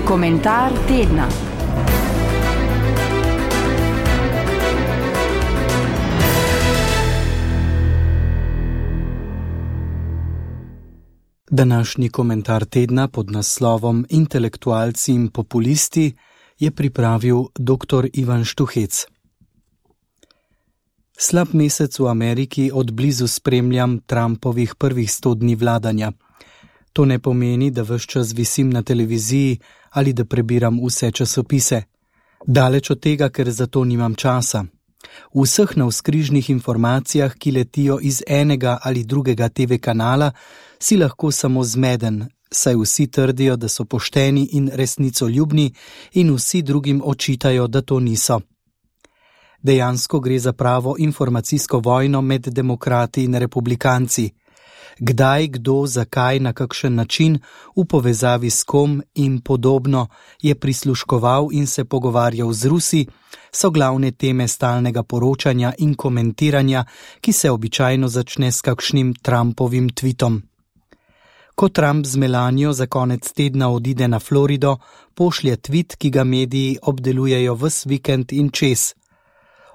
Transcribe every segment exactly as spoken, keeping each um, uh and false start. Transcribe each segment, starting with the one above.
Komentar tedna. Današnji komentar tedna pod naslovom Intelektualci in populisti je pripravil doktor Ivan Štuhec. Slab mesec v Ameriki od blizu spremljam Trumpovih prvih sto dni vladanja. To ne pomeni, da ves čas visim na televiziji ali da prebiram vse časopise. Daleč od tega, ker za to nimam časa. V vseh navzkrižnih informacijah, ki letijo iz enega ali drugega te ve kanala, si lahko samo zmeden, saj vsi trdijo, da so pošteni in resnicoljubni in vsi drugim očitajo, da to niso. Dejansko gre za pravo informacijsko vojno med demokrati in republikanci. Kdaj, kdo, zakaj, na kakšen način, v povezavi s kom in podobno je prisluškoval in se pogovarjal z Rusi, so glavne teme stalnega poročanja in komentiranja, ki se običajno začne s kakšnim Trumpovim tweetom. Ko Trump z Melanijo za konec tedna odide na Florido, pošlje tweet, ki ga mediji obdelujejo ves vikend in čez.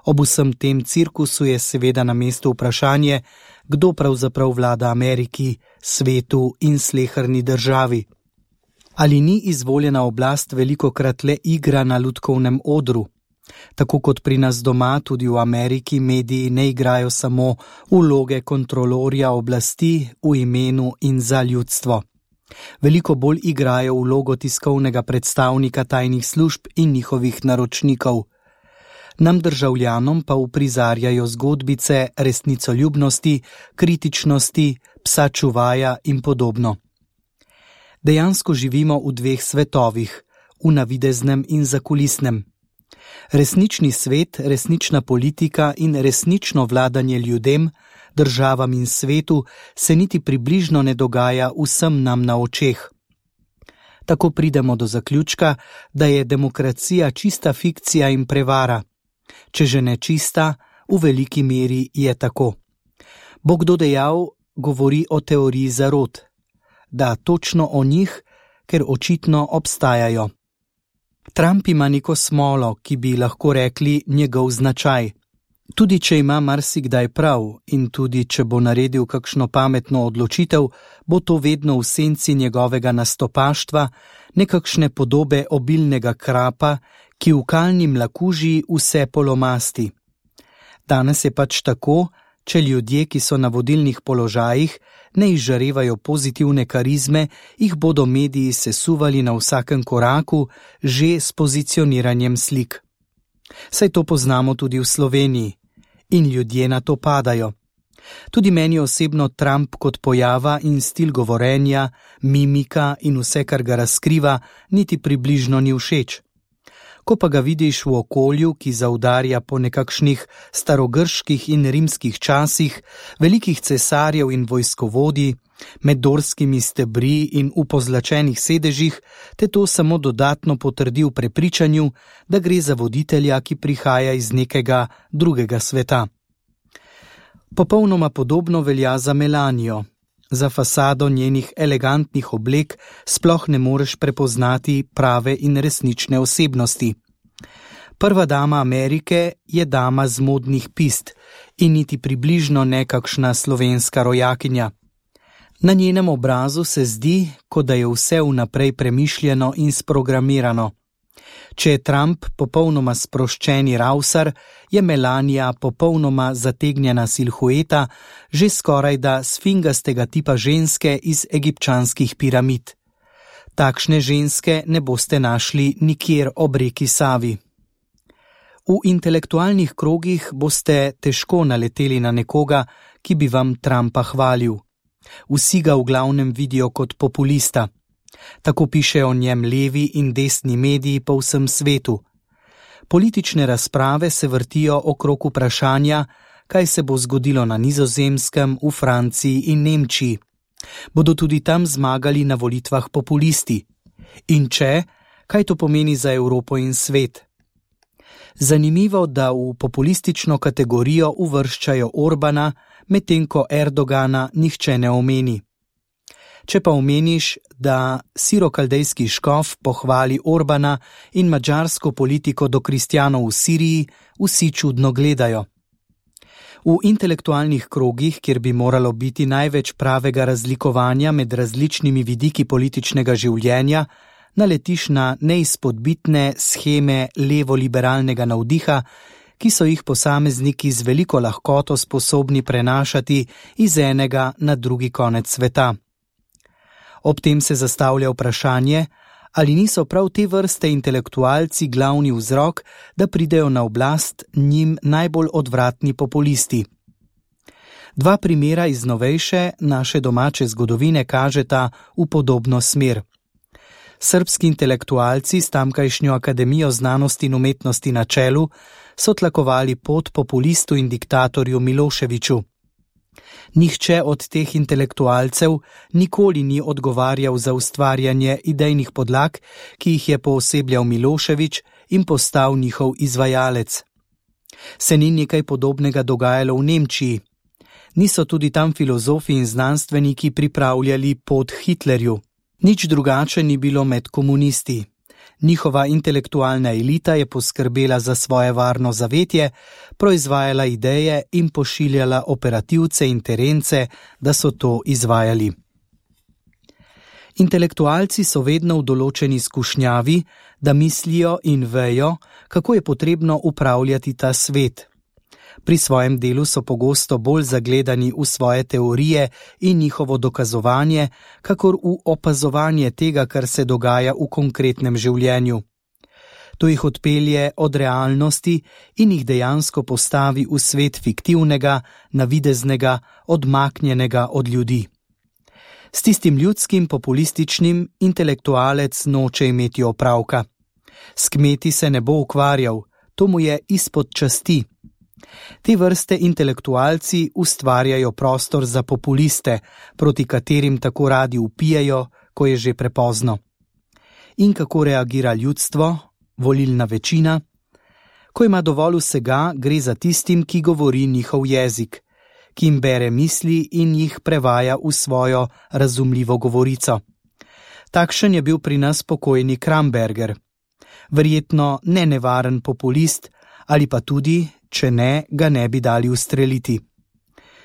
Ob vsem tem cirkusu je seveda na mestu vprašanje, kdo pravzaprav vlada Ameriki, svetu in sleherni državi. Ali ni izvoljena oblast velikokrat le igra na lutkovnem odru? Tako kot pri nas doma, tudi v Ameriki mediji ne igrajo samo vloge kontrolorja oblasti v imenu in za ljudstvo. Veliko bolj igrajo vlogo tiskovnega predstavnika tajnih služb in njihovih naročnikov. Nam državljanom pa uprizarjajo zgodbice resnicoljubnosti, kritičnosti, psa čuvaja in podobno. Dejansko živimo v dveh svetovih, v navideznem in zakulisnem. Resnični svet, resnična politika in resnično vladanje ljudem, državam in svetu se niti približno ne dogaja vsem nam na očeh. Tako pridemo do zaključka, da je demokracija čista fikcija in prevara. Če že ne čista, v veliki meri je tako. Bo kdo dejal, govori o teoriji zarot. Da, točno o njih, ker očitno obstajajo. Trump ima neko smolo, ki bi lahko rekli njegov značaj. Tudi če ima marsikdaj prav in tudi če bo naredil kakšno pametno odločitev, bo to vedno v senci njegovega nastopaštva, nekakšne podobe obilnega krapa, ki v kalni mlakuži vse polomasti. Danes je pač tako, če ljudje, ki so na vodilnih položajih, ne izžarevajo pozitivne karizme, jih bodo mediji sesuvali na vsakem koraku, že s pozicioniranjem slik. Saj to poznamo tudi v Sloveniji. In ljudje na to padajo. Tudi meni osebno Trump kot pojava in stil govorenja, mimika in vse, kar ga razkriva, niti približno ni všeč. Ko pa ga vidiš v okolju, ki zaudarja po nekakšnih starogrških in rimskih časih, velikih cesarjev in vojskovodij, med dorskimi stebri in v pozlačenih sedežih, te to samo dodatno potrdi v prepričanju, da gre za voditelja, ki prihaja iz nekega drugega sveta. Popolnoma podobno velja za Melanijo. Za fasado njenih elegantnih oblek sploh ne moreš prepoznati prave in resnične osebnosti. Prva dama Amerike je dama z modnih pist in niti približno nekakšna slovenska rojakinja. Na njenem obrazu se zdi, kot da je vse vnaprej premišljeno in sprogramirano. Če je Trump popolnoma sproščeni ravsar, je Melanija popolnoma zategnjena silhueta, že skorajda sfingastega tipa ženske iz egipčanskih piramid. Takšne ženske ne boste našli nikjer ob reki Savi. V intelektualnih krogih boste težko naleteli na nekoga, ki bi vam Trumpa hvalil. Vsi ga v glavnem vidijo kot populista. Tako pišejo o njem levi in desni mediji po vsem svetu. Politične razprave se vrtijo okrog vprašanja, kaj se bo zgodilo na Nizozemskem, v Franciji in Nemčiji. Bodo tudi tam zmagali na volitvah populisti? In če, kaj to pomeni za Evropo in svet? Zanimivo, da v populistično kategorijo uvrščajo Orbana, medtem ko Erdogana nihče ne omeni. Če pa omeniš, da sirokaldejski škof pohvali Orbana in madžarsko politiko do kristjanov v Siriji, vsi čudno gledajo. V intelektualnih krogih, kjer bi moralo biti največ pravega razlikovanja med različnimi vidiki političnega življenja, naletiš na neizpodbitne sheme levo-liberalnega navdiha, ki so jih posamezniki z veliko lahkoto sposobni prenašati iz enega na drugi konec sveta. Ob tem se zastavlja vprašanje, ali niso prav te vrste intelektualci glavni vzrok, da pridejo na oblast njim najbolj odvratni populisti. Dva primera iz novejše naše domače zgodovine kažeta v podobno smer. Srbski intelektualci s tamkajšnjo Akademijo znanosti in umetnosti na čelu so tlakovali pot populistu in diktatorju Miloševiću. Nihče od teh intelektualcev nikoli ni odgovarjal za ustvarjanje idejnih podlag, ki jih je poosebljal Milošević in postal njihov izvajalec. Se ni nekaj podobnega dogajalo v Nemčiji. Niso tudi tam filozofi in znanstveniki pripravljali pot Hitlerju. Nič drugače ni bilo med komunisti. Njihova intelektualna elita je poskrbela za svoje varno zavetje, proizvajala ideje in pošiljala operativce in terence, da so to izvajali. Intelektualci so vedno v določeni skušnjavi, da mislijo in vejo, kako je potrebno upravljati ta svet. Pri svojem delu so pogosto bolj zagledani v svoje teorije in njihovo dokazovanje, kakor v opazovanje tega, kar se dogaja v konkretnem življenju. To jih odpelje od realnosti in jih dejansko postavi v svet fiktivnega, navideznega, odmaknjenega od ljudi. S tistim ljudskim populističnim intelektualec noče imeti opravka. S kmeti se ne bo ukvarjal, to mu je izpod časti. Te vrste intelektualci ustvarjajo prostor za populiste, proti katerim tako radi vpijejo, ko je že prepozno. In kako reagira ljudstvo, volilna večina? Ko ima dovolj vsega, gre za tistim, ki govori njihov jezik, ki jim bere misli in jih prevaja v svojo razumljivo govorico. Takšen je bil pri nas pokojni Kramberger. Verjetno ne nevaren populist, ali pa tudi, če ne, ga ne bi dali ustreliti.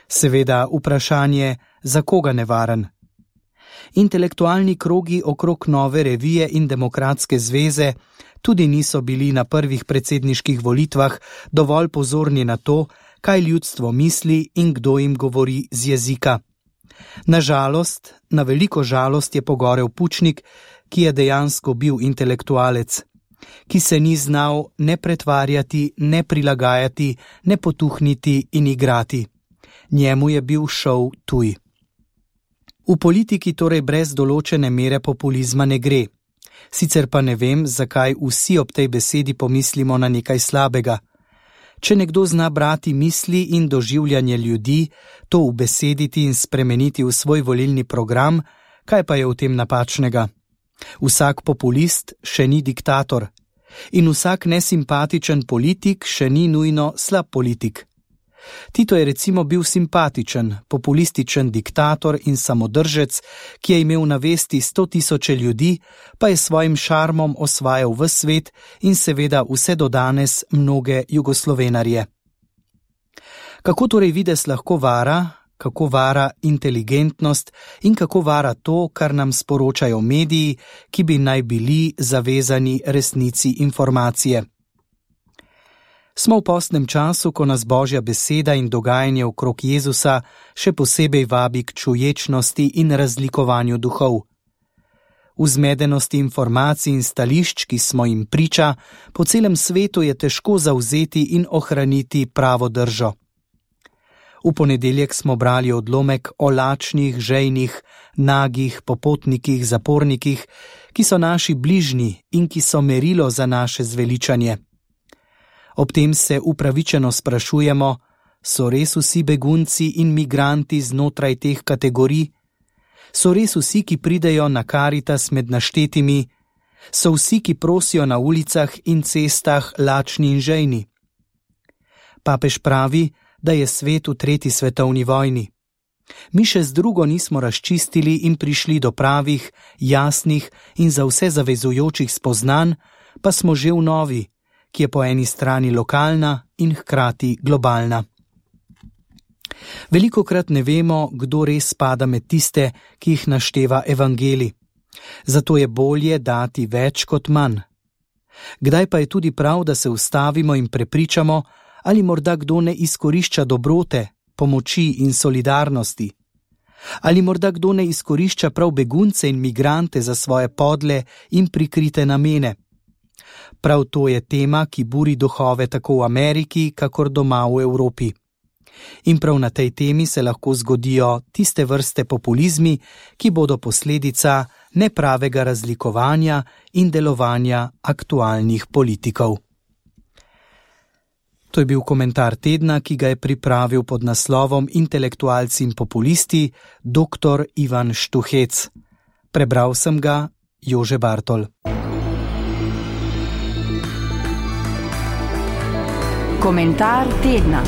Seveda vprašanje, za koga nevaren? Intelektualni krogi okrog Nove revije in Demokratske zveze tudi niso bili na prvih predsedniških volitvah dovolj pozorni na to, kaj ljudstvo misli in kdo jim govori z jezika. Na žalost, na veliko žalost je pogorel Pučnik, ki je dejansko bil intelektualec, ki se ni znal ne pretvarjati, ne prilagajati, ne potuhniti in igrati. Njemu je bil šov tuj. V politiki torej brez določene mere populizma ne gre. Sicer pa ne vem, zakaj vsi ob tej besedi pomislimo na nekaj slabega. Če nekdo zna brati misli in doživljanje ljudi, to ubesediti in spremeniti v svoj volilni program, kaj pa je v tem napačnega? Vsak populist še ni diktator in vsak nesimpatičen politik še ni nujno slab politik. Tito je recimo bil simpatičen, populističen diktator in samodržec, ki je imel na vesti sto tisoče ljudi, pa je svojim šarmom osvajal ves svet in seveda vse do danes mnoge jugoslovenarje. Kako torej vides lahko vara, kako vara inteligentnost in kako vara to, kar nam sporočajo mediji, ki bi naj bili zavezani resnici informacije? Smo v postnem času, ko nas Božja beseda in dogajanje okrog Jezusa še posebej vabi k čuječnosti in razlikovanju duhov. V zmedenosti informacij in stališč, ki smo jim priča, po celem svetu je težko zavzeti in ohraniti pravo držo. V ponedeljek smo brali odlomek o lačnih, žejnih, nagih, popotnikih, zapornikih, ki so naši bližnji in ki so merilo za naše zveličanje. Ob tem se upravičeno sprašujemo, so res vsi begunci in migranti znotraj teh kategorij? So res vsi, ki pridejo na Karitas med naštetimi? So vsi, ki prosijo na ulicah in cestah, lačni in žejni? Papež pravi, da je svet v tretji svetovni vojni. Mi še z drugo nismo razčistili in prišli do pravih, jasnih in za vse zavezujočih spoznanj, pa smo že v novi, ki je po eni strani lokalna in hkrati globalna. Velikokrat ne vemo, kdo res spada med tiste, ki jih našteva evangelij. Zato je bolje dati več kot manj. Kdaj pa je tudi prav, da se ustavimo in prepričamo, ali morda kdo ne izkorišča dobrote, pomoči in solidarnosti? Ali morda kdo ne izkorišča prav begunce in migrante za svoje podle in prikrite namene? Prav to je tema, ki buri duhove tako v Ameriki, kakor doma v Evropi. In prav na tej temi se lahko zgodijo tiste vrste populizmi, ki bodo posledica nepravega razlikovanja in delovanja aktualnih politikov. To je bil komentar tedna, ki ga je pripravil pod naslovom Intelektualci in populisti dr. Ivan Štuhec. Prebral sem ga Jože Bartol. Komentar tedna.